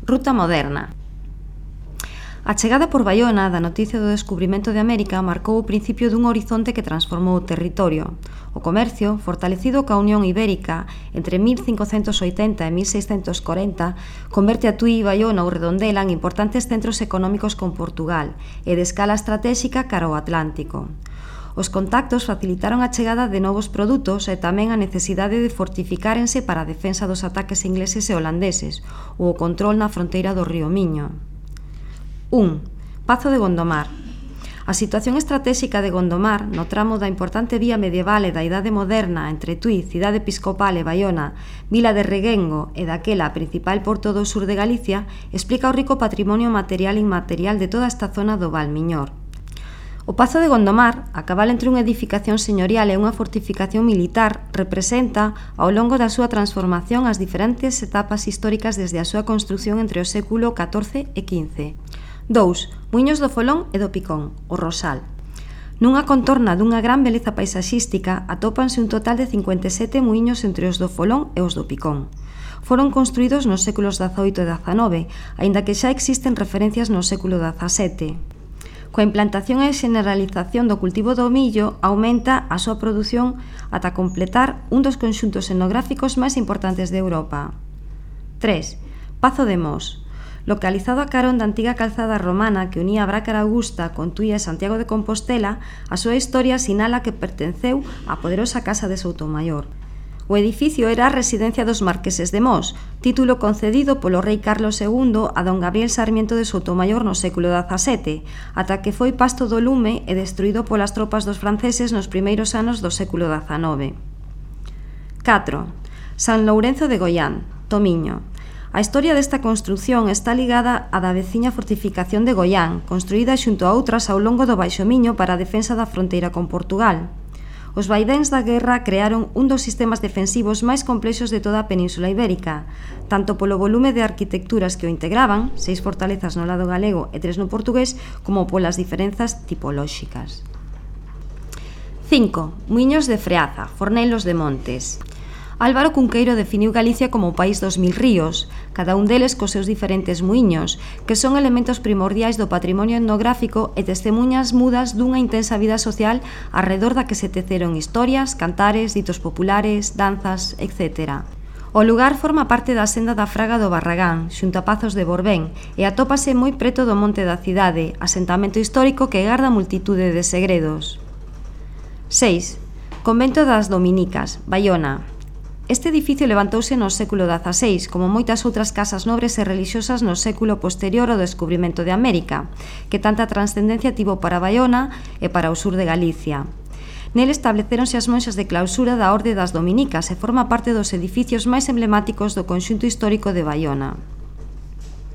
Ruta moderna. A chegada por Baiona da noticia do descubrimento de América marcou o principio dun horizonte que transformou o territorio. O comercio, fortalecido coa Unión Ibérica entre 1580 e 1640, converte a Tui, Baiona ou Redondela en importantes centros económicos con Portugal e de escala estratéxica cara ao Atlántico. Os contactos facilitaron a chegada de novos produtos e tamén a necesidade de fortificárense para a defensa dos ataques ingleses e holandeses ou o control na fronteira do río Miño. 1. Pazo de Gondomar. A situación estratéxica de Gondomar, no tramo da importante vía medieval e da Idade Moderna entre Tui, cidade episcopal e Baiona, vila de Reguengo e daquela principal porto do sur de Galicia, explica o rico patrimonio material e inmaterial de toda esta zona do Val Miñor. O Pazo de Gondomar, a cabal entre unha edificación señorial e unha fortificación militar, representa, ao longo da súa transformación, as diferentes etapas históricas desde a súa construción entre o século XIV e XV. 2. Muiños do Folón e do Picón, o Rosal. Nunha contorna dunha gran beleza paisaxística atópanse un total de 57 muiños entre os do Folón e os do Picón. Foron construídos nos séculos XVIII e XIX, aínda que xa existen referencias no século XVII. Coa implantación e generalización do cultivo do millo, aumenta a súa produción ata completar un dos conxuntos etnográficos máis importantes de Europa. 3. Pazo de Mos. Localizado a carón da antiga calzada romana que unía Brácara Augusta con Tui e Santiago de Compostela, a súa historia sinala que pertenceu á poderosa casa de Soutomaior. O edificio era a residencia dos marqueses de Mos, título concedido polo rei Carlos II a don Gabriel Sarmiento de Soutomaior no século XVII, ata que foi pasto do lume e destruído polas tropas dos franceses nos primeiros anos do século XIX. 4. San Lourenzo de Goián, Tomiño. A historia desta construción está ligada á da veciña fortificación de Goián, construída xunto a outras ao longo do Baixo Miño para a defensa da fronteira con Portugal. Os vaidéns da guerra crearon un dos sistemas defensivos máis complexos de toda a Península Ibérica, tanto polo volume de arquitecturas que o integraban, 6 fortalezas no lado galego e 3 no portugués, como polas diferenzas tipolóxicas. 5. Muiños de Freaza, Fornelos de Montes. Álvaro Cunqueiro definiu Galicia como o país dos 1000 ríos, cada un deles cos seus diferentes muiños, que son elementos primordiais do patrimonio etnográfico e testemunhas mudas dunha intensa vida social arredor da que se teceron historias, cantares, ditos populares, danzas, etc. O lugar forma parte da senda da Fraga do Barragán, xunto a Pazos de Borbén, e atópase moi preto do monte da cidade, asentamento histórico que garda multitude de segredos. 6. Convento das Dominicas, Baiona. Este edificio levantouse no século XVI, como moitas outras casas nobres e religiosas no século posterior ao descubrimento de América, que tanta transcendencia tivo para Baiona e para o sur de Galicia. Nel establecéronse as monxas de clausura da Orde das Dominicas e forma parte dos edificios máis emblemáticos do conxunto histórico de Baiona.